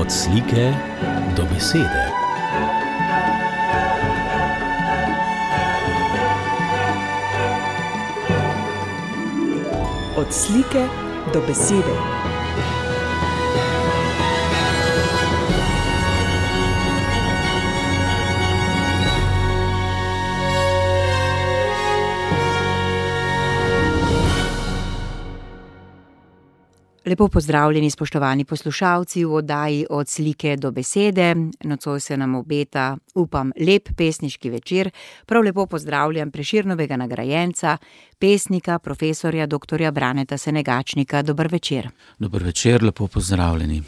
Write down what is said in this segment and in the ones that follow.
Od slike do besede. Od slike do besede. Lepo pozdravljeni, spoštovani poslušalci v oddaji Od slike do besede. Nocoj se nam obeta, upam, lep pesniški večer. Prav lepo pozdravljam Prešernovega nagrajenca, pesnika, profesorja dr. Braneta Senegačnika. Dober večer. Dober večer, lepo pozdravljeni.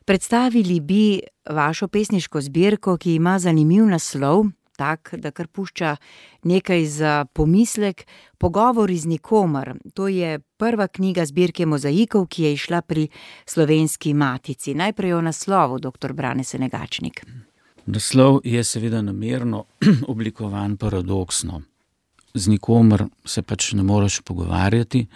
Predstavili bi vašo pesniško zbirko, ki ima zanimiv naslov, tak, da kar pušča nekaj za pomislek, Pogovori z nikomer. To je prva knjiga zbirke mozaikov, ki je izšla pri Slovenski matici. Najprej o naslovu, dr. Brane Senegačnik. Naslov je seveda namerno oblikovan paradoksno. Z nikomer se pač ne moreš pogovarjati.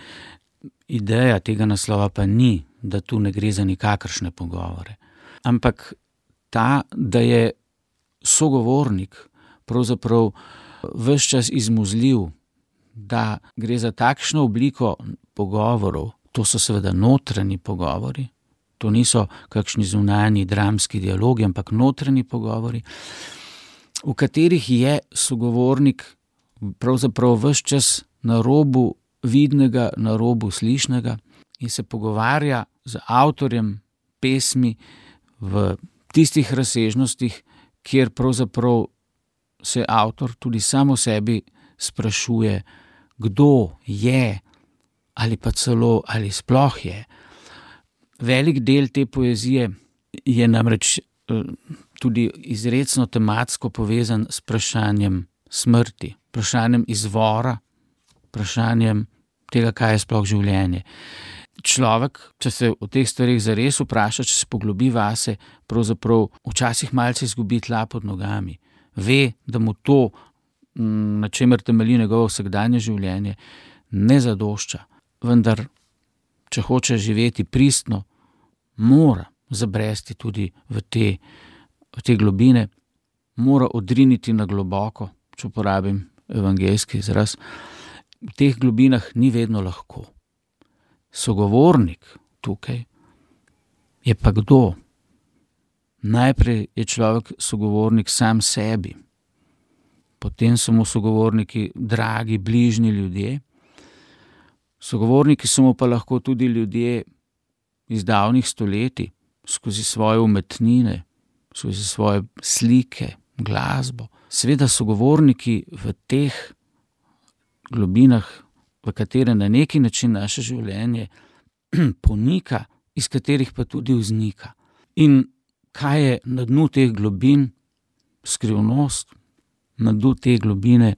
Ideja tega naslova pa ni, da tu ne gre za nikakršne pogovore. Ampak ta, da je sogovornik pravzaprav ves čas izmuzljiv, da gre za takšno obliko pogovorov, to so seveda notranji pogovori, to niso kakšni zunanji dramski dialogi, ampak notranji pogovori, v katerih je sogovornik pravzaprav ves čas na robu vidnega, na robu slišnega in se pogovarja z avtorjem pesmi v tistih razsežnostih, kjer pravzaprav se avtor tudi sam o sebi sprašuje, kdo je ali pa celo ali sploh je. Velik del te poezije je namreč tudi izrecno tematsko povezan s vprašanjem smrti, vprašanjem izvora, vprašanjem tega, kaj je sploh življenje. Človek, če se o teh stvareh zares vpraša, če se poglobi vase, pravzaprav včasih malce izgubi tla pod nogami. Ve, da mu to, na čemer temelji njegovo vsakdanje življenje, ne zadošča. Vendar, če hoče živeti pristno, mora zabresti tudi v te globine, mora odriniti na globoko, če uporabim evangeljski izraz. V teh globinah ni vedno lahko. Sogovornik tukaj je pa kdo? Najprej je človek sogovornik sam sebi, potem so mu sogovorniki dragi, bližnji ljudje. Sogovorniki so mu pa lahko tudi ljudje iz davnih stoletij, skozi svoje umetnine, skozi svoje slike, glasbo. Seveda sogovorniki v teh globinah, v katere na neki način naše življenje ponika, iz katerih pa tudi vznika. In kaj je na dnu teh globin? Skrivnost. Na dnu te globine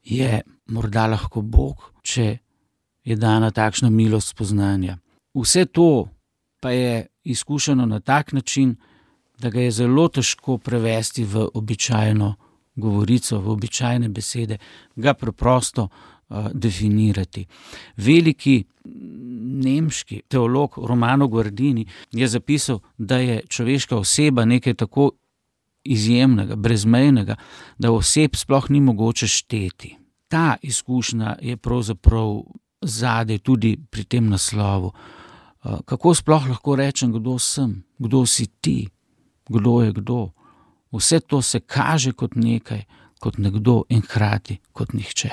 je morda lahko Bog, če je dana takšna milost spoznanja. Vse to pa je izkušano na tak način, da ga je zelo težko prevesti v običajno govorico, v običajne besede, ga preprosto definirati. Veliki nemški teolog Romano Guardini je zapisal, da je človeška oseba nekaj tako izjemnega, brezmejnega, da oseb sploh ni mogoče šteti. Ta izkušnja je pravzaprav zadaj tudi pri tem naslovu. Kako sploh lahko rečem, kdo sem, kdo si ti, kdo je kdo? Vse to se kaže kot nekaj, kot nekdo in hkrati kot nihče.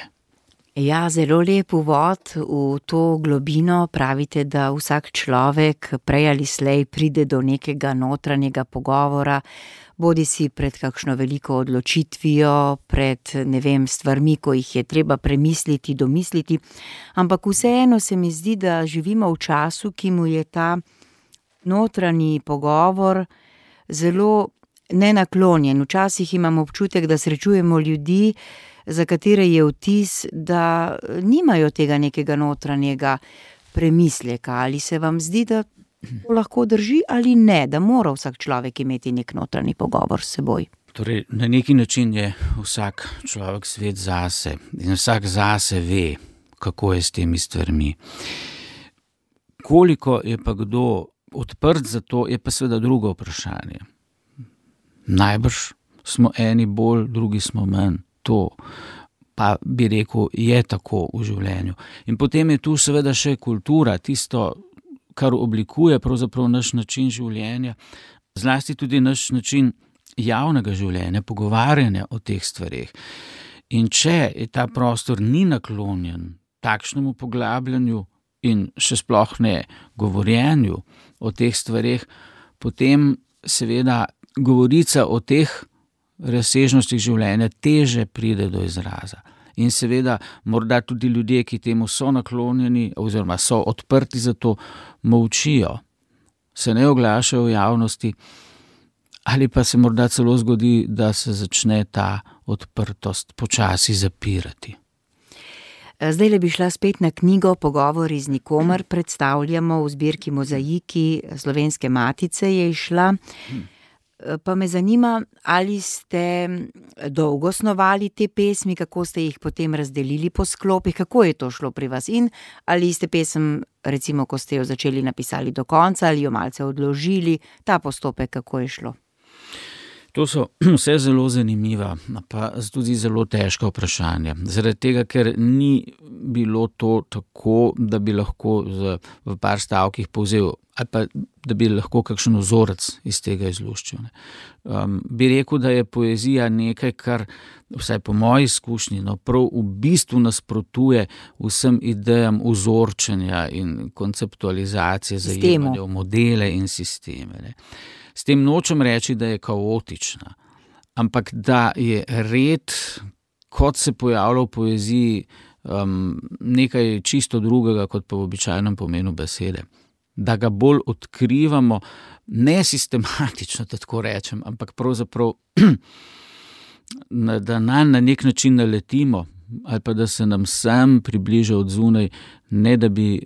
Ja, zelo lep uvod v to globino. Pravite, da vsak človek prej ali slej pride do nekega notranjega pogovora, bodi si pred kakšno veliko odločitvijo, pred, stvarmi, ko jih je treba premisliti, domisliti, ampak vseeno se mi zdi, da živimo v času, ki mu je ta notranji pogovor zelo nenaklonjen. Včasih imam občutek, da srečujemo ljudi, za katere je vtis, da nimajo tega nekega notranjega premisleka. Ali se vam zdi, da to lahko drži ali ne, da mora vsak človek imeti nek notranji pogovor s seboj? Torej, na neki način je vsak človek svet zase in vsak zase ve, kako je s temi stvarmi. Koliko je pa kdo odprt za to, je pa seveda drugo vprašanje. Najbrž smo eni bolj, drugi smo manj. To pa bi rekel, je tako v življenju. In potem je tu seveda še kultura, tisto, kar oblikuje pravzaprav naš način življenja, zlasti tudi naš način javnega življenja, pogovarjanja o teh stvareh. In če je ta prostor ni naklonjen takšnemu poglabljanju in še sploh ne govorjenju o teh stvareh, potem seveda govorica o teh razsežnostih življenja teže pride do izraza. In seveda morda tudi ljudje, ki temu so naklonjeni oziroma so odprti za to, molčijo, se ne oglašajo v javnosti, ali pa se morda celo zgodi, da se začne ta odprtost počasi zapirati. Zdajle bi šla spet na knjigo Pogovori z nikomer, predstavljamo v zbirki Mozaiki Slovenske matice je izšla. Pa me zanima, ali ste dolgo snovali te pesmi, kako ste jih potem razdelili po sklopih, kako je to šlo pri vas in ali ste pesem, recimo, ko ste jo začeli napisali do konca ali jo malce odložili, ta postopek, kako je šlo? To so vse zelo zanimiva, pa tudi zelo težka vprašanja. Zaradi tega, ker ni bilo to tako, da bi lahko v par stavkih povzel, ali pa da bi lahko kakšen vzorec iz tega izluščil. Bi rekel, da je poezija nekaj, kar, vsaj po moji izkušnji, prav v bistvu nasprotuje vsem idejam vzorčenja in konceptualizacije, zajemanja v modele in sisteme. Ne. S tem nočem reči, da je kaotična, ampak da je red, kot se pojavlja v poeziji, nekaj čisto drugega, kot pa v običajnem pomenu besede. Da ga bolj odkrivamo, ne sistematično, tako rečem, ampak pravzaprav, da na nek način naletimo, ali pa da se nam sam približa od zunaj, ne da bi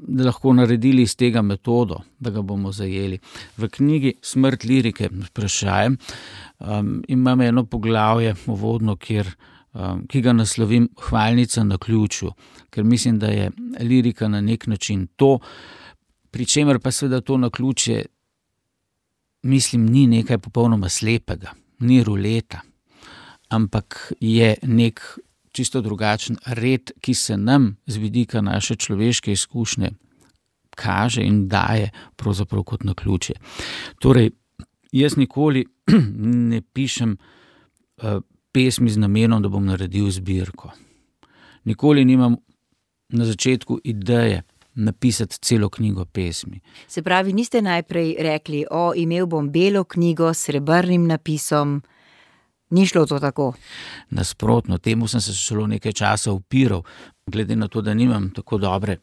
da lahko naredili iz tega metodo, da ga bomo zajeli. V knjigi Smrt lirike vprašajem imam eno poglavje uvodno, ki ga naslovim Hvalnica na ključu, ker mislim, da je lirika na nek način to, pri čemer pa seveda to naključje, mislim, ni nekaj popolnoma slepega, ni ruleta, ampak je nek čisto drugačen red, ki se nam z vidika naše človeške izkušnje kaže in daje pravzaprav kot naključje. Torej, jaz nikoli ne pišem pesmi z namenom, da bom naredil zbirko. Nikoli nimam na začetku ideje napisati celo knjigo pesmi. Se pravi, niste najprej rekli, imel bom belo knjigo s srebrnim napisom, ni šlo to tako? Nasprotno, temu sem se celo nekaj časa upiral, glede na to, da nimam tako dobre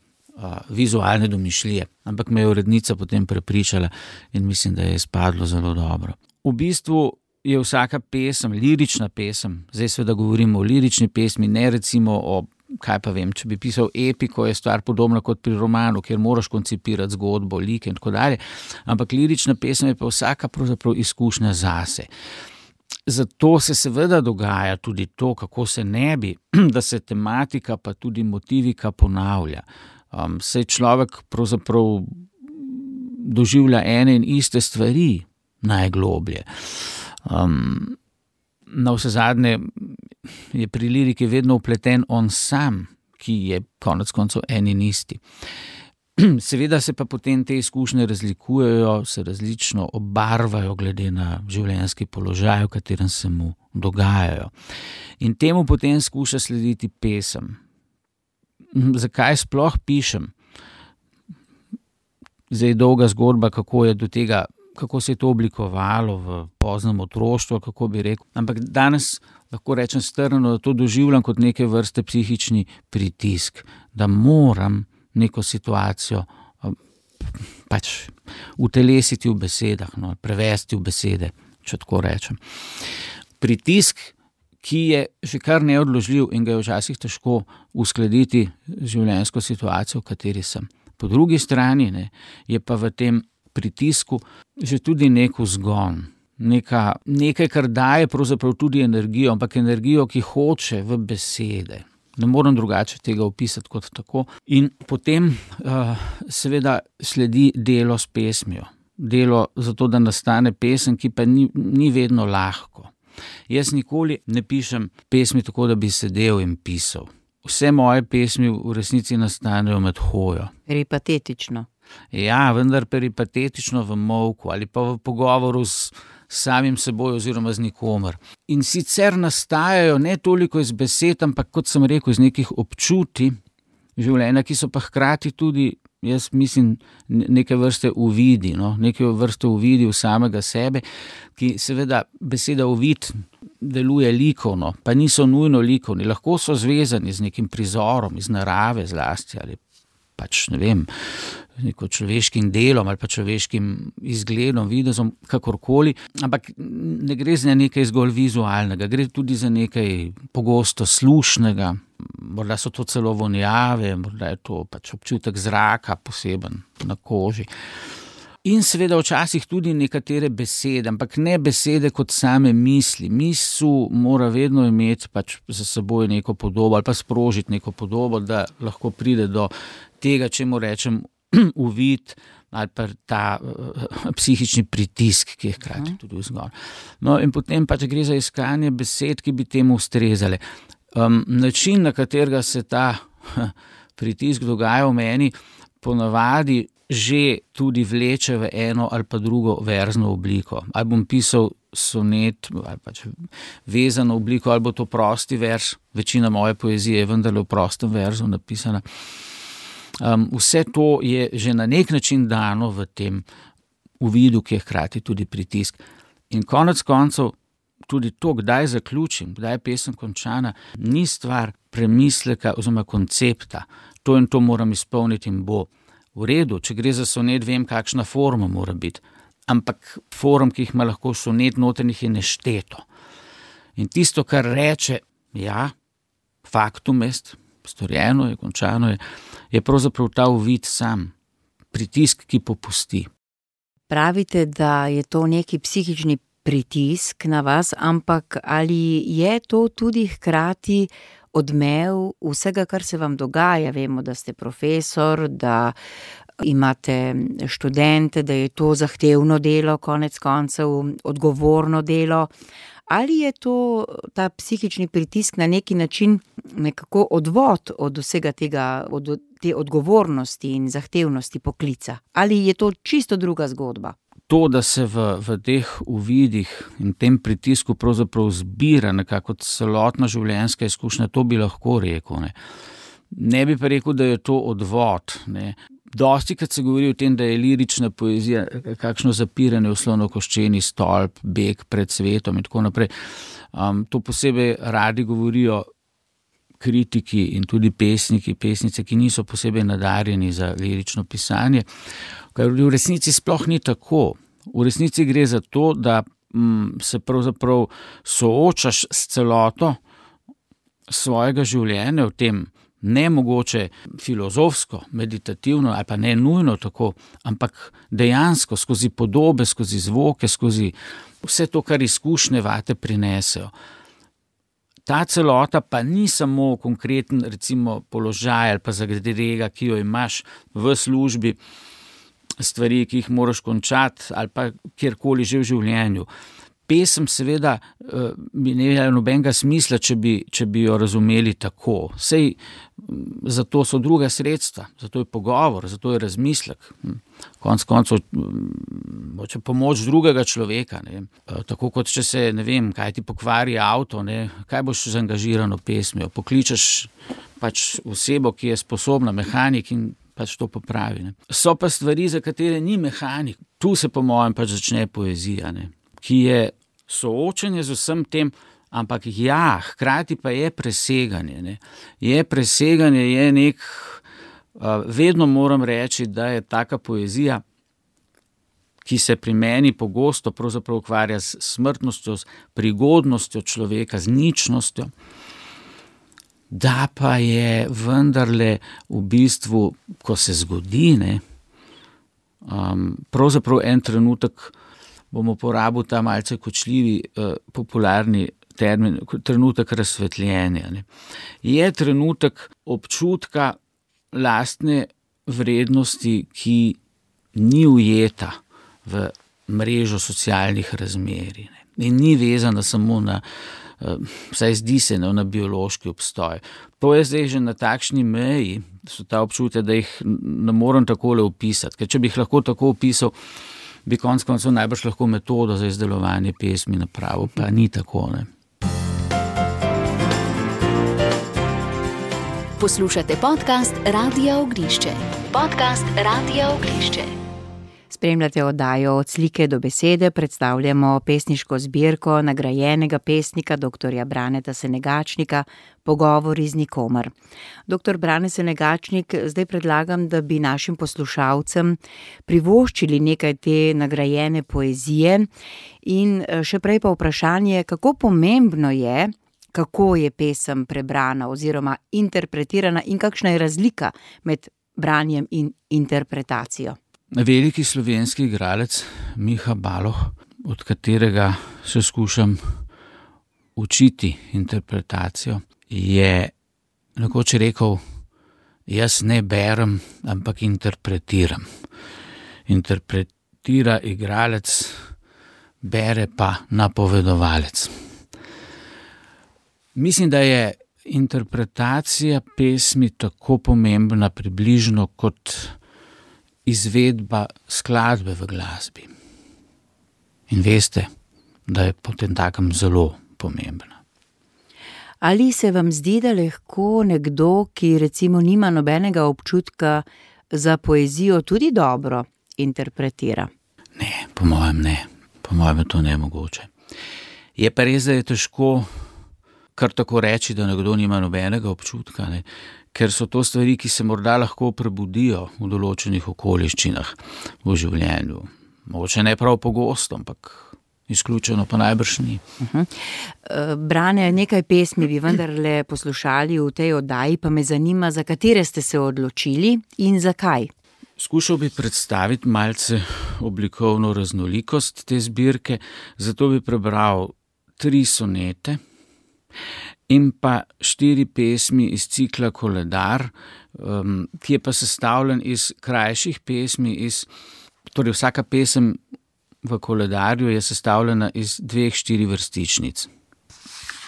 vizualne domišljije, ampak me je urednica potem prepričala in mislim, da je izpadlo zelo dobro. V bistvu je vsaka pesem, lirična pesem, zdaj seveda govorimo o lirični pesmi, ne recimo o, kaj pa vem, če bi pisal epiko, je stvar podobna kot pri romanu, kjer moraš koncipirati zgodbo, like in tako dalje, ampak lirična pesem je pa vsaka pravzaprav izkušnja zase. Zato se seveda dogaja tudi to, kako se ne bi, da se tematika pa tudi motivika ponavlja. Saj človek pravzaprav doživlja ene in iste stvari najgloblje. Navsezadnje je pri liriki vedno vpleten on sam, ki je konec koncev en in isti. Seveda se pa potem te izkušnje razlikujejo, se različno obarvajo glede na življenjski položaj, v katerem se mu dogajajo. In temu potem skuša slediti pesem. Zakaj sploh pišem? Zdaj dolga zgodba, kako je do tega, kako se je to oblikovalo v poznem otroštvu, kako bi rekel. Ampak danes lahko rečem strnjeno, da to doživljam kot neke vrste psihični pritisk, da moram neko situacijo pač utelesiti v besedah, prevesti v besede, če tako rečem. Pritisk, ki je že kar neodložljiv in ga je včasih težko uskladiti z življenjsko situacijo, v kateri sem. Po drugi strani je pa v tem pritisku že tudi nek vzgon, nekaj, kar daje pravzaprav tudi energijo, ampak energijo, ki hoče v besede. Ne morem drugače tega opisati kot tako. In potem seveda sledi delo s pesmijo. Delo zato, da nastane pesem, ki pa ni vedno lahko. Jaz nikoli ne pišem pesmi tako, da bi sedel in pisal. Vse moje pesmi v resnici nastanejo med hojo. Peripatetično. Ja, vendar peripatetično v molku ali pa v pogovoru s samim seboj oziroma z nikomer. In sicer nastajajo ne toliko iz besed, ampak kot sem rekel, iz nekih občutij življenja, ki so pa hkrati tudi, jaz mislim, neke vrste uvidi, neke vrste uvidi v samega sebe, ki seveda beseda uvid deluje likovno, pa niso nujno likovni, lahko so zvezani z nekim prizorom, iz narave zlasti ali pač ne vem, neko človeškim delom ali pa človeškim izgledom, videzom, kakorkoli, ampak ne gre za nekaj zgolj vizualnega, gre tudi za nekaj pogosto slušnega, morda so to celo vonjave, morda je to pač občutek zraka poseben na koži. In seveda včasih tudi nekatere besede, ampak ne besede kot same misli. Misel mora vedno imeti pač za seboj neko podobo ali pa sprožiti neko podobo, da lahko pride do tega, čemu rečem uvid ali pa ta psihični pritisk, ki je hkrati tudi vzgon. No in potem pač gre za iskanje besed, ki bi temu ustrezale. Način, na katerega se ta pritisk dogaja v meni, ponavadi že tudi vleče v eno ali pa drugo verzno obliko. Ali bom pisal sonet ali pač vezano obliko, ali bo to prosti verz. Večina moje poezije je vendarle v prostem verzu napisana. Vse to je že na nek način dano v tem uvidu, ki je hkrati tudi pritisk. In konec koncev tudi to, kdaj zaključim, kdaj je pesem končana, ni stvar premisleka oziroma koncepta. To in to moram izpolniti in bo. V redu, če gre za sonet, vem, kakšna forma mora biti. Ampak form, ki jih ima lahko sonet, noternih je nešteto. In tisto, kar reče, ja, faktum est, storjeno je, končano je pravzaprav ta uvid sam, pritisk, ki popusti. Pravite, da je to neki psihični pritisk na vas, ampak ali je to tudi hkrati odmev vsega, kar se vam dogaja? Vemo, da ste profesor, da imate študente, da je to zahtevno delo, konec koncev odgovorno delo. Ali je to ta psihični pritisk na neki način nekako odvod od vsega tega, od te odgovornosti in zahtevnosti poklica? Ali je to čisto druga zgodba? To, da se v teh uvidih in tem pritisku pravzaprav zbira nekako celotna življenjska izkušnja, to bi lahko rekel. Ne bi pa rekel, da je to odvod. Dostikrat se govori o tem, da je lirična poezija kakšno zapiranje v slonokoščeni stolp, beg pred svetom in tako naprej. To posebej radi govorijo kritiki in tudi pesniki, pesnice, ki niso posebej nadarjeni za lirično pisanje, kar v resnici sploh ni tako. V resnici gre za to, da se pravzaprav soočaš s celoto svojega življenja v tem nemogoče filozofsko, meditativno ali pa ne nujno tako, ampak dejansko skozi podobe, skozi zvoke, skozi vse to, kar izkušnje vate prinesejo. Ta celota pa ni samo konkreten, recimo, položaj ali pa zagrega, ki jo imaš v službi, stvari, ki jih moraš končati ali pa kjerkoli že v življenju. Pesem seveda bi ne imela nobenega smisla, če bi jo razumeli tako. Sej zato so druga sredstva, zato je pogovor, zato je razmislek. Konec koncev moče pomoč drugega človeka. Tako kot če se, ne vem, kaj ti pokvari avto, kaj boš z angažirano pesmijo. Pokličeš pač osebo, ki je sposobna, mehanik in pač to popravi. So pa stvari, za katere ni mehanik. Tu se po mojem pač začne poezija, ki je soočenje z vsem tem, ampak ja, hkrati pa je preseganje. Je preseganje, je nek, vedno moram reči, da je taka poezija, ki se pri meni pogosto pravzaprav ukvarja s smrtnostjo, s prigodnostjo človeka, z ničnostjo, da pa je vendarle v bistvu, ko se zgodi, pravzaprav en trenutek, bom uporabil ta malce kočljivi popularni termin, trenutek razsvetljenja. Ne. Je trenutek občutka lastne vrednosti, ki ni ujeta v mrežo socialnih razmerij. Ne. In ni vezana samo na, vsaj zdi se, na biološki obstoj. To je zdaj že na takšni meji, so ta občutja, da jih ne morem takole opisati. Ker če bi jih lahko tako opisal, bi konec koncev najbrž lahko metodo za izdelovanje pesmi napravil, pa ni tako. Ne. Poslušate podcast Radia Oglišče. Podcast Radia Oglišče. Spremljate oddajo Od slike do besede, predstavljamo pesniško zbirko nagrajenega pesnika dr. Braneta Senegačnika Pogovori z nikomer. Dr. Brane Senegačnik, zdaj predlagam, da bi našim poslušalcem privoščili nekaj te nagrajene poezije in še prej pa vprašanje, kako pomembno je, kako je pesem prebrana oziroma interpretirana in kakšna je razlika med branjem in interpretacijo. Veliki slovenski igralec Miha Baloh, od katerega se skušam učiti interpretacijo, je nekoč rekel, jaz ne berem, ampak interpretiram. Interpretira igralec, bere pa napovedovalec. Mislim, da je interpretacija pesmi tako pomembna približno kot izvedba skladbe v glasbi. In veste, da je potem takem zelo pomembna. Ali se vam zdi, da lahko nekdo, ki recimo nima nobenega občutka za poezijo, tudi dobro interpretira? Ne, po mojem ne. Po mojem je to nemogoče. Je pa res, da je težko kar tako reči, da nekdo nima nobenega občutka, ne? Ker so to stvari, ki se morda lahko prebudijo v določenih okoliščinah v življenju. Mogoče ne prav pogosto, ampak izključeno pa najbrž ni. Brane, nekaj pesmi bi vendarle poslušali v tej oddaji, pa me zanima, za katere ste se odločili in zakaj? Skušal bi predstaviti malce oblikovno raznolikost te zbirke, zato bi prebral 3 sonete in pa 4 pesmi iz cikla Koledar, ki je pa sestavljen iz krajših pesmi, torej vsaka pesem v koledarju je sestavljena iz 2-4 vrstičnic.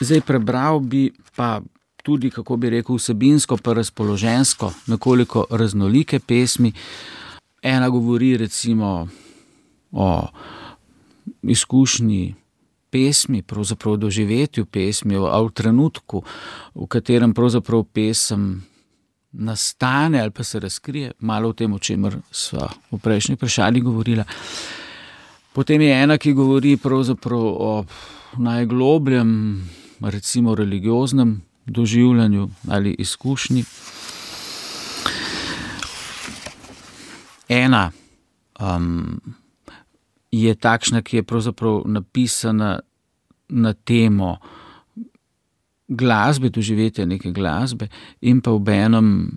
Zdaj prebral bi pa tudi, kako bi rekel, vsebinsko pa razpoloženjsko nekoliko raznolike pesmi. Ena govori recimo o izkušnji pesmi, pravzaprav doživetju pesmi, o trenutku, v katerem pravzaprav pesem nastane ali pa se razkrije, malo o tem, o čemer sva v prejšnji vprašanji govorila. Potem je ena, ki govori pravzaprav o najglobljem, recimo religioznem doživljanju ali izkušnji. Ena je takšna, ki je pravzaprav napisana na temo glasbe, doživetja neke glasbe in pa obenem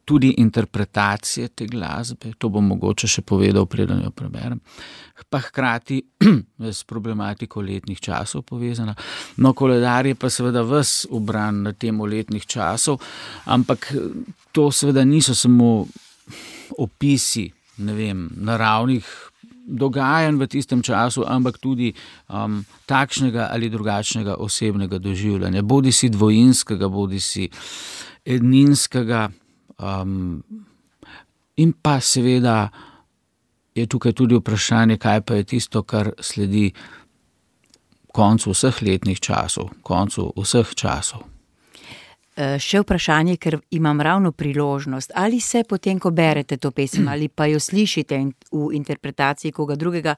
tudi interpretacije te glasbe. To bom mogoče še povedal, preden jo preberem. Pa hkrati s problematiko letnih časov povezana. No, koledar je pa seveda ves ubran na temo letnih časov, ampak to seveda niso samo opisi, ne vem, naravnih dogajanj v tistem času, ampak tudi takšnega ali drugačnega osebnega doživljanja, bodisi dvojinskega, bodisi edninskega, in pa seveda je tukaj tudi vprašanje, kaj pa je tisto, kar sledi koncu vseh letnih časov, koncu vseh časov. Še vprašanje, ker imam ravno priložnost, ali se potem, ko berete to pesem ali pa jo slišite v interpretaciji koga drugega,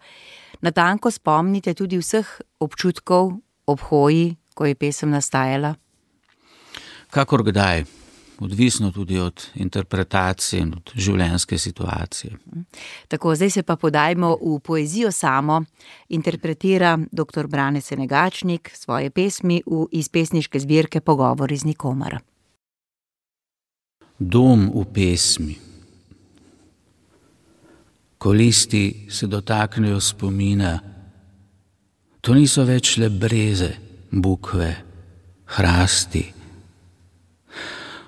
natanko spomnite tudi vseh občutkov ob hoji, ko je pesem nastajala? Kakor kdaj. Odvisno tudi od interpretacije in od življenjske situacije. Tako, zdaj se pa podajmo v poezijo samo. Interpretira dr. Brane Senegačnik svoje pesmi iz pesniške zbirke Pogovori z nikomer. Dom v pesmi. Ko listi se dotaknejo spomina, To niso več le breze, bukve, hrasti.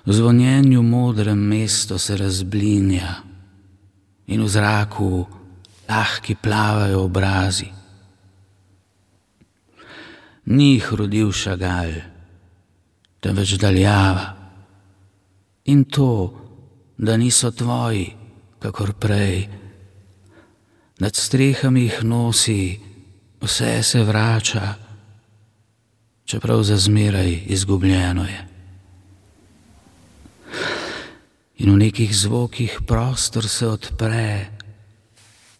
V zvonjenju modrem mesto se razblinja in v zraku lahki plavajo obrazi. Ni jih rodil Chagall, temveč daljava. In to, da niso tvoji, kakor prej. Nad strehami jih nosi, vse se vrača, čeprav za zmeraj izgubljeno je. In v nekih zvokih prostor se odpre,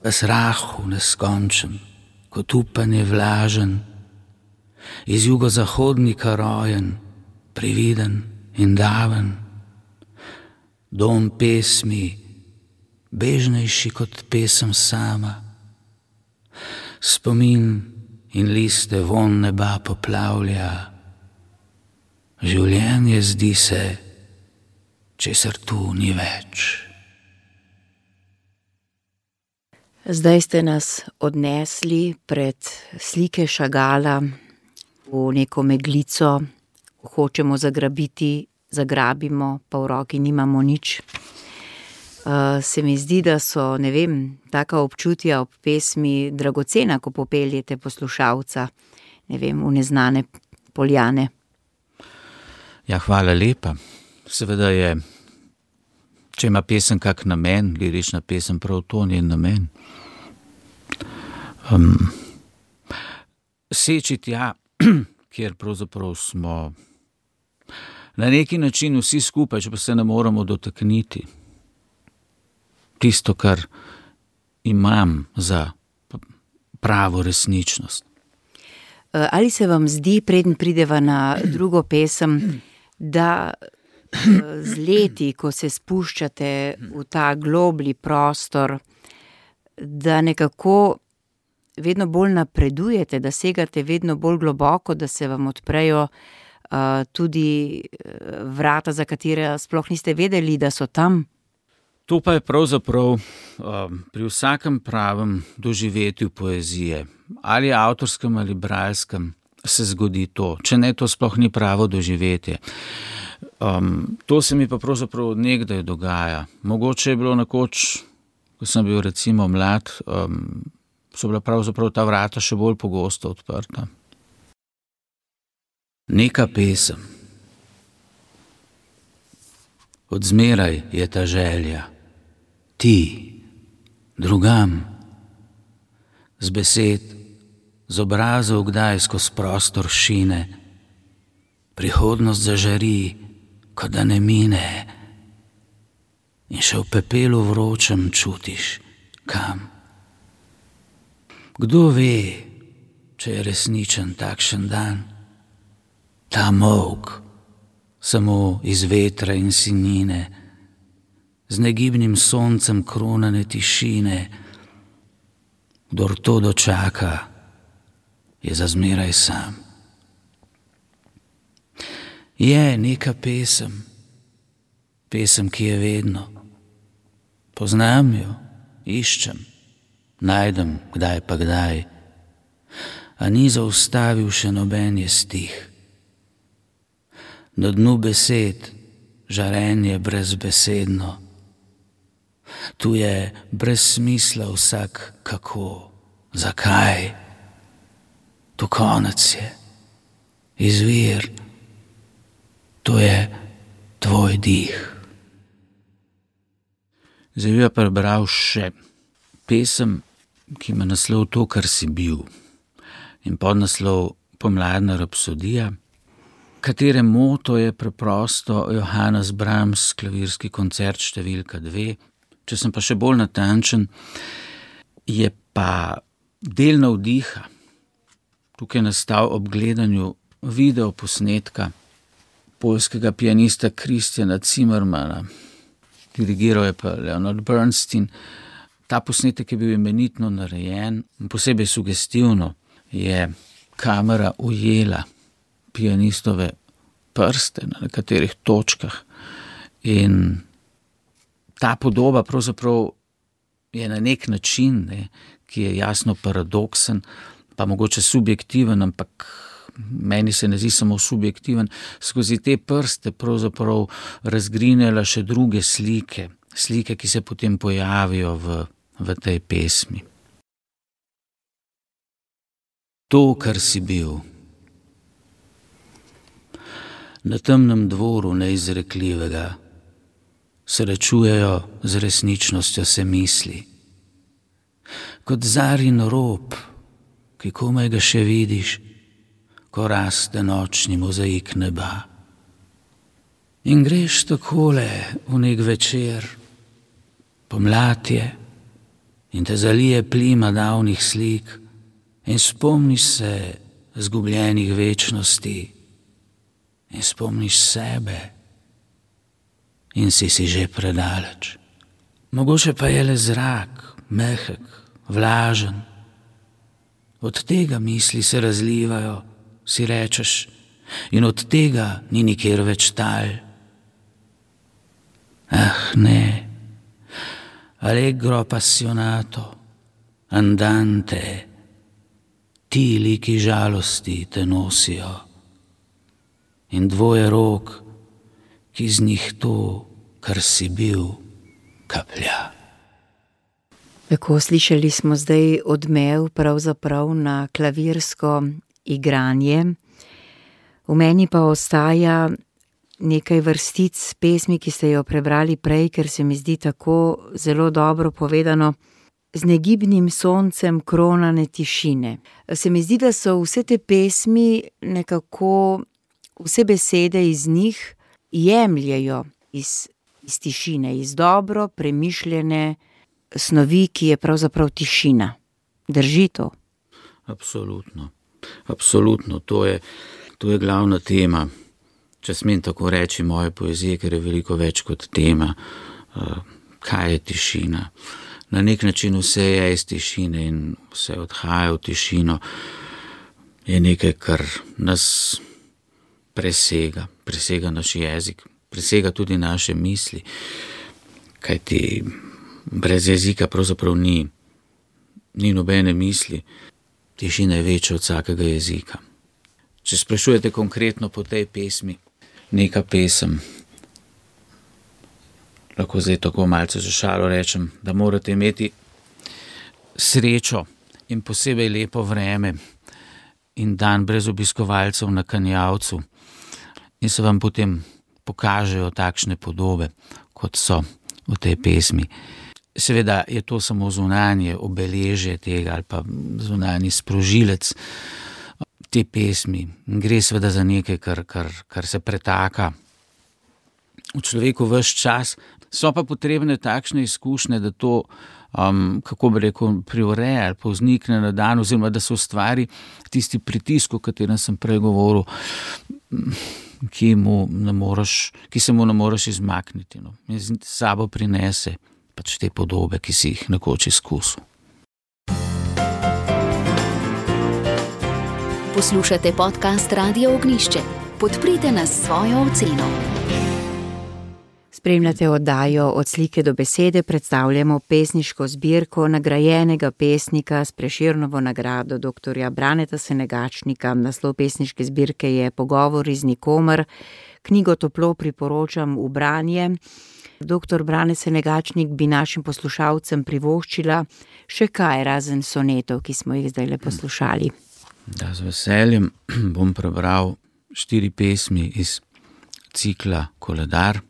v srahu neskončen, kot upanje vlažen, iz jugozahodnika rojen, prividen in daven, dom pesmi, bežnejši kot pesem sama, spomin in liste von neba poplavlja, življenje zdi se, česar tu ni več. Zdaj ste nas odnesli pred slike Chagalla v neko meglico, hočemo zagrabiti, zagrabimo, pa v roki nimamo nič. Se mi zdi, da so, ne vem, taka občutja ob pesmi dragocena, ko popeljete poslušalca, ne vem, v neznane poljane. Ja, hvala lepa. Seveda je, če ima pesem kak namen, lirična pesem, prav to njen namen. Seči tja, kjer pravzaprav smo na neki način vsi skupaj, če pa se ne moramo dotakniti. Tisto, kar imam za pravo resničnost. Ali se vam zdi, preden prideva na drugo pesem, da z leti, ko se spuščate v ta globlji prostor, da nekako vedno bolj napredujete, da segate vedno bolj globoko, da se vam odprejo tudi vrata, za katere sploh niste vedeli, da so tam? To pa je pravzaprav pri vsakem pravem doživetju poezije, ali avtorskem ali bralskem, se zgodi to. Če ne, to sploh ni pravo doživetje. To se mi pa pravzaprav od nekdaj dogaja. Mogoče je bilo nekoč, ko sem bil recimo mlad, so bila pravzaprav ta vrata še bolj pogosto odprta. Neka pesem. Od zmeraj je ta želja. Ti, drugam, z besed, z obrazov kdaj skozi prostor šine, prihodnost zažari, kot da ne mine, in še v pepelu vročem čutiš, kam. Kdo ve, če je resničen takšen dan, ta molk, samo iz vetra in sinine, z negibnim soncem kronane tišine. Kdor to dočaka, je za zmeraj sam. Je neka pesem, ki je vedno. Poznam jo, iščem, najdem kdaj pa kdaj, a ni zaustavil še noben je stih. Na dnu besed žarenje brezbesedno, tu je brez smisla vsak kako, zakaj, tu konec je, izvir, to je tvoj dih. Zdaj bi prebral še pesem, ki ima naslov To, kar si bil, in podnaslov Pomladna rapsodija, katere moto je preprosto Johannes Brahms, klavirski koncert številka 2. Če sem pa še bolj natančen, je pa del navdiha tukaj nastal ob gledanju videoposnetka poljskega pianista Kristjana Zimmermana. Dirigiral je pa Leonard Bernstein. Ta posnetek je bil imenitno narejen, posebej sugestivno je kamera ujela pianistove prste na nekaterih točkah in ta podoba pravzaprav je na nek način, ki je jasno paradoksen, pa mogoče subjektiven, ampak meni se ne zdi samo subjektiven, skozi te prste pravzaprav razgrinjala še druge slike, ki se potem pojavijo v tej pesmi. To, kar si bil. Na temnem dvoru neizrekljivega srečujejo z resničnostjo se misli. Kot zarin rob, ki komaj ga še vidiš, ko raste nočni mozaik neba. In greš takole v nek večer, pomlad je in te zalije plima davnih slik in spomniš se zgubljenih večnosti in spomniš sebe in si že predaleč. Mogoče pa je le zrak, mehek, vlažen. Od tega misli se razlivajo, si rečeš, in od tega ni nikjer več tal. Ah, ne, allegro appassionato, andante, ti liki žalosti te nosijo in dvoje rok, ki z njih to, kar si bil, kaplja. Tako slišali smo zdaj odmev pravzaprav na klavirsko igranje. V meni pa ostaja nekaj vrstic pesmi, ki ste jo prebrali prej, ker se mi zdi tako zelo dobro povedano. Z negibnim soncem kronane tišine. Se mi zdi, da so vse te pesmi nekako, vse besede iz njih jemljejo iz tišine, iz dobro premišljene snovi, ki je pravzaprav tišina. Drži to? Absolutno. Absolutno. To je glavna tema, če smem tako reči, moje poezije, ker je veliko več kot tema. Kaj je tišina? Na nek način vse je iz tišine in vse odhaja v tišino. Je nekaj, kar nas presega naš jezik, presega tudi naše misli, kajti brez jezika pravzaprav ni nobene misli. Tišina je večja od vsakega jezika. Če sprašujete konkretno po tej pesmi, neka pesem, lahko zdaj tako malce za šalo rečem, da morate imeti srečo in posebej lepo vreme in dan brez obiskovalcev na Kanjavcu in se vam potem pokažejo takšne podobe, kot so v tej pesmi. Seveda je to samo zunanje obeležje tega ali pa zunanji sprožilec te pesmi. Gre seveda za nekaj, kar se pretaka v človeku ves čas. So pa potrebne takšne izkušnje, da to, kako bi rekel, privre ali pa vznikne na dan, oziroma da se ustvari tisti pritisk, o katerem sem prej govoril, ki se mu ne moreš izmakniti. No. In s sabo prinese pač te podobe, ki si jih nekoč izkusil. Poslušate podcast Radio Ognjišče. Podprite nas s svojo oceno. Spremljate oddajo Od slike do besede, predstavljamo pesniško zbirko nagrajenega pesnika s Prešernovo nagrado dr. Braneta Senegačnika. Naslov pesniške zbirke je Pogovori z nikomer. Knjigo toplo priporočam v branje. Dr. Brane Senegačnik bi našim poslušalcem privoščila še kaj razen sonetov, ki smo jih zdaj le poslušali. Da, z veseljem bom prebral 4 pesmi iz cikla Koledar.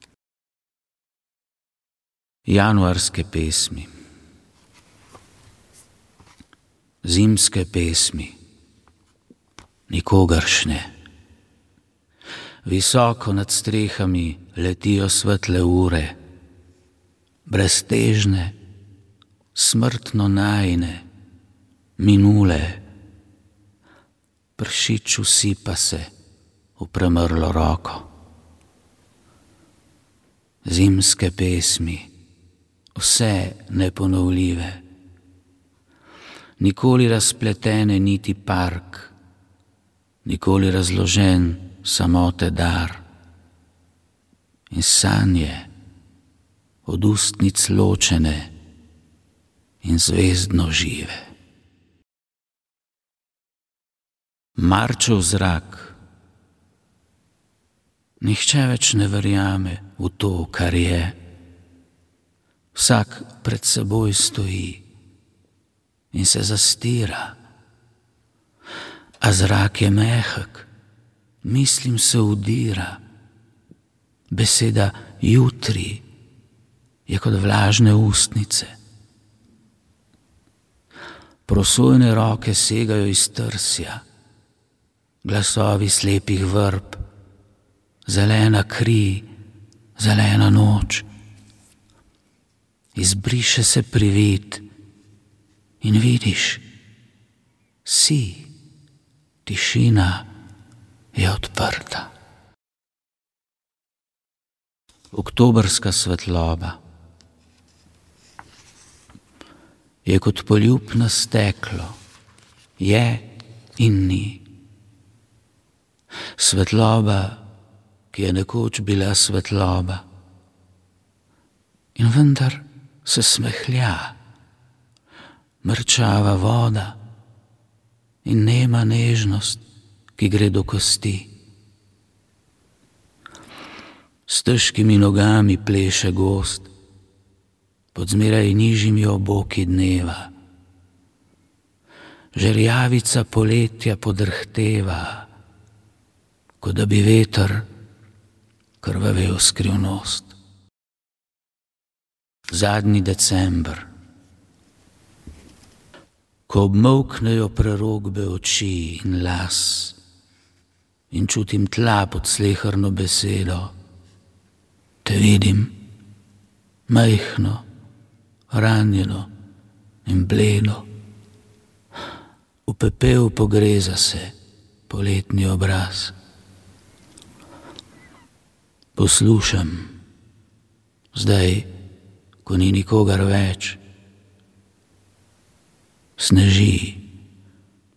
Januarske pesmi. Zimske pesmi. Nikogaršne. Visoko nad strehami letijo svetle ure, breztežne, smrtno najine, minule. Pršič usipa se v premrlo roko. Zimske pesmi, vse neponovljive, nikoli razpletene niti park, nikoli razložen samote dar in sanje od ustnic ločene in zvezdno žive. Marčev zrak. Nihče več ne verjame v to, kar je. Vsak pred seboj stoji in se zastira. A zrak je mehek, mislim se udira. Beseda jutri je kot vlažne ustnice. Prosojne roke segajo iz trsja, glasovi slepih vrb, zelena kri, zelena noč. Izbriše se privid in vidiš, si, tišina je odprta. Oktobrska svetloba je kot poljub na steklo, je in ni. Svetloba, ki je nekoč bila svetloba, in vendar se smehlja, mrčava voda in nema nežnost, ki gre do kosti. S težkimi nogami pleše gozd, pod zmeraj nižjimi oboki dneva. Žerjavica poletja podrhteva, kot da bi veter krvavel skrivnost. Zadnji december, ko obmolknejo prerokbe oči in las in čutim tla pod sleherno besedo, te vidim, majhno, ranjeno in bledo. V pepel pogreza se poletni obraz. Poslušam, zdaj, ko ni nikogar več, sneži,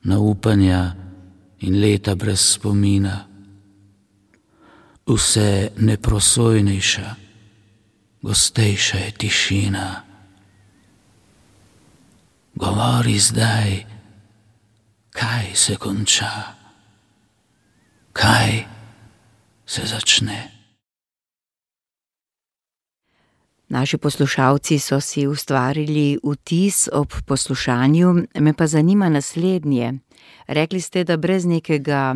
naupanja in leta brez spomina. Vse neprosojnejša, gostejša je tišina. Govori zdaj, kaj se konča, kaj se začne. Naši poslušalci so si ustvarili vtis ob poslušanju, me pa zanima naslednje. Rekli ste, da brez nekega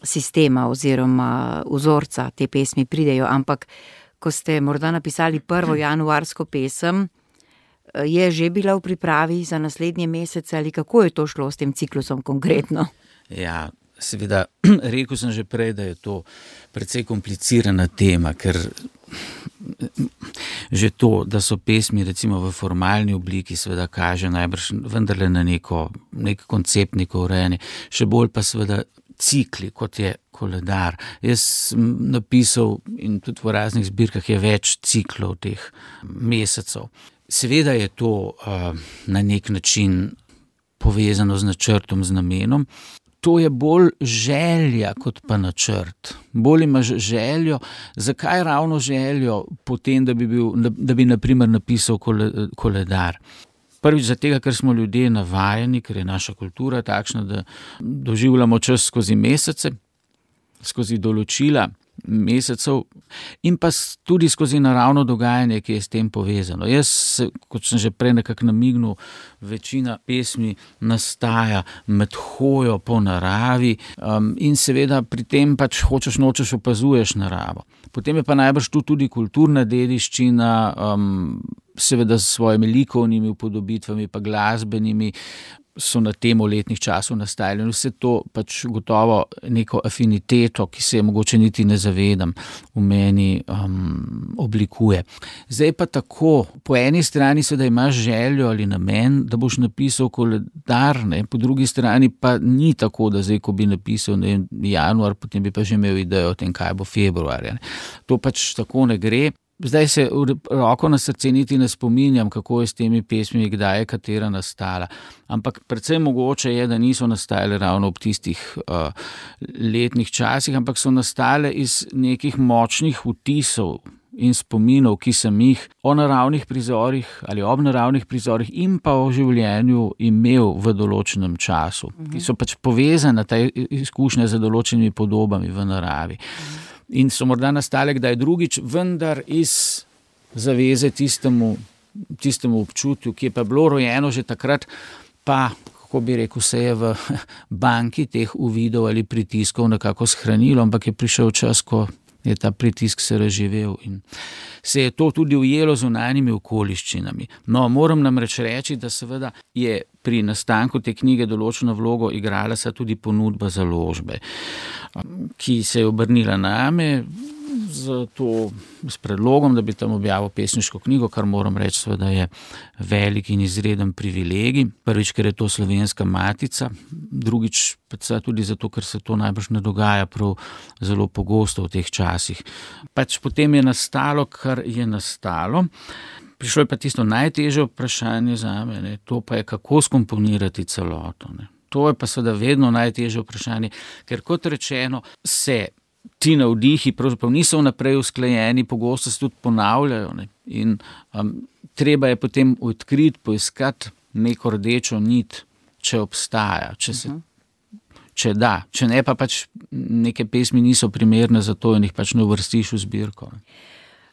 sistema oziroma vzorca te pesmi pridejo, ampak ko ste morda napisali prvo januarsko pesem, je že bila v pripravi za naslednje mesece ali kako je to šlo s tem ciklusom konkretno? Ja, seveda, rekel sem že prej, da je to precej komplicirana tema, ker že to, da so pesmi recimo v formalni obliki, seveda kaže najbrž vendarle na nek koncept, neko urejanje, še bolj pa seveda cikli, kot je koledar. Jaz sem napisal in tudi v raznih zbirkah je več ciklov teh mesecev. Seveda je to na nek način povezano z načrtom, z namenom. To je bolj želja kot pa načrt. Bolj imaš željo. Zakaj ravno željo potem, da bi na primer napisal koledar? Prvič zato, ker smo ljudje navajeni, ker je naša kultura takšna, da doživljamo čas skozi mesece, skozi določila mesecev in pa tudi skozi naravno dogajanje, ki je s tem povezano. Jaz, kot sem že prej nekako namignil, večina pesmi nastaja med hojo po naravi in seveda pri tem pač hočeš nočeš opazuješ naravo. Potem je pa najbrž tu tudi kulturna dediščina, seveda s svojimi likovnimi upodobitvami pa glasbenimi, so na temo letnih časov nastajali in vse to pač gotovo neko afiniteto, ki se je mogoče niti ne zavedam, v meni oblikuje. Zdaj pa tako, po eni strani seveda imaš željo ali namen, da boš napisal koledar, ne? Po drugi strani pa ni tako, da zdaj, ko bi napisal januar, potem bi pa že imel idejo o tem, kaj bo februarja. To pač tako ne gre. Zdaj se roko na srce niti ne spominjam, kako je s temi pesmimi, kdaj je katera nastala. Ampak precej mogoče je, da niso nastale ravno ob tistih letnih časih, ampak so nastale iz nekih močnih vtisov in spominov, ki sem jih o naravnih prizorih ali ob naravnih prizorih in pa o življenju imel v določenem času, ki so pač povezane te izkušnje z določenimi podobami v naravi. In so morda nastale kdaj drugič, vendar iz zaveze tistemu občutju, ki je pa bilo rojeno že takrat, pa kako bi rekel, se je v banki teh uvidov ali pritiskov nekako shranilo, ampak je prišel čas, ko je ta pritisk se razživel in se je to tudi ujelo z zunanjimi okoliščinami. No, moram namreč reči, da seveda je pri nastanku te knjige določeno vlogo igrala se tudi ponudba založbe, ki se je obrnila name s predlogom, da bi tam objavil pesniško knjigo, kar moram reči, seveda je velik in izreden privilegij. Prvič, ker je to slovenska matica, drugič tudi zato, ker se to najbrž ne dogaja prav zelo pogosto v teh časih. Pač potem je nastalo, kar je nastalo. Prišlo je pa tisto najtežje vprašanje zame, ne, to pa je, kako skomponirati celoto. Ne. To je pa seveda vedno najtežje vprašanje, ker kot rečeno se ti navdihi pravzaprav niso vnaprej usklajeni, pogosto se tudi ponavljajo, ne. In treba je potem odkriti, poiskati neko rdečo nit, če obstaja, če da, če ne pa pač neke pesmi niso primerne za to in jih pač ne uvrstiš v zbirko.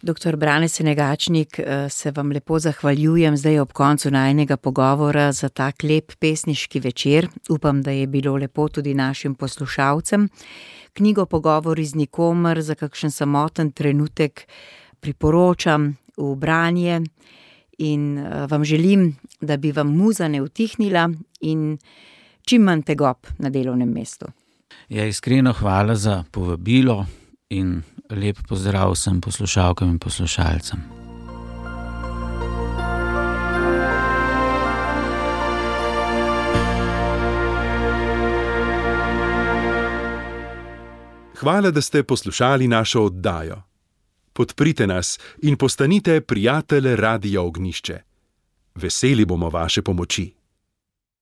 Dr. Brane Senegačnik, se vam lepo zahvaljujem zdaj ob koncu najinega pogovora za tak lep pesniški večer. Upam, da je bilo lepo tudi našim poslušalcem. Knjigo Pogovori z nikomer za kakšen samoten trenutek priporočam v branje in vam želim, da bi vam muza ne utihnila in čim manj tegob na delovnem mestu. Ja, iskreno hvala za povabilo in lep pozdrav vsem poslušalkam in poslušalcem. Hvala, da ste poslušali našo oddajo. Podprite nas in postanite prijatelj Radia Ognjišče. Veseli bomo vaše pomoči.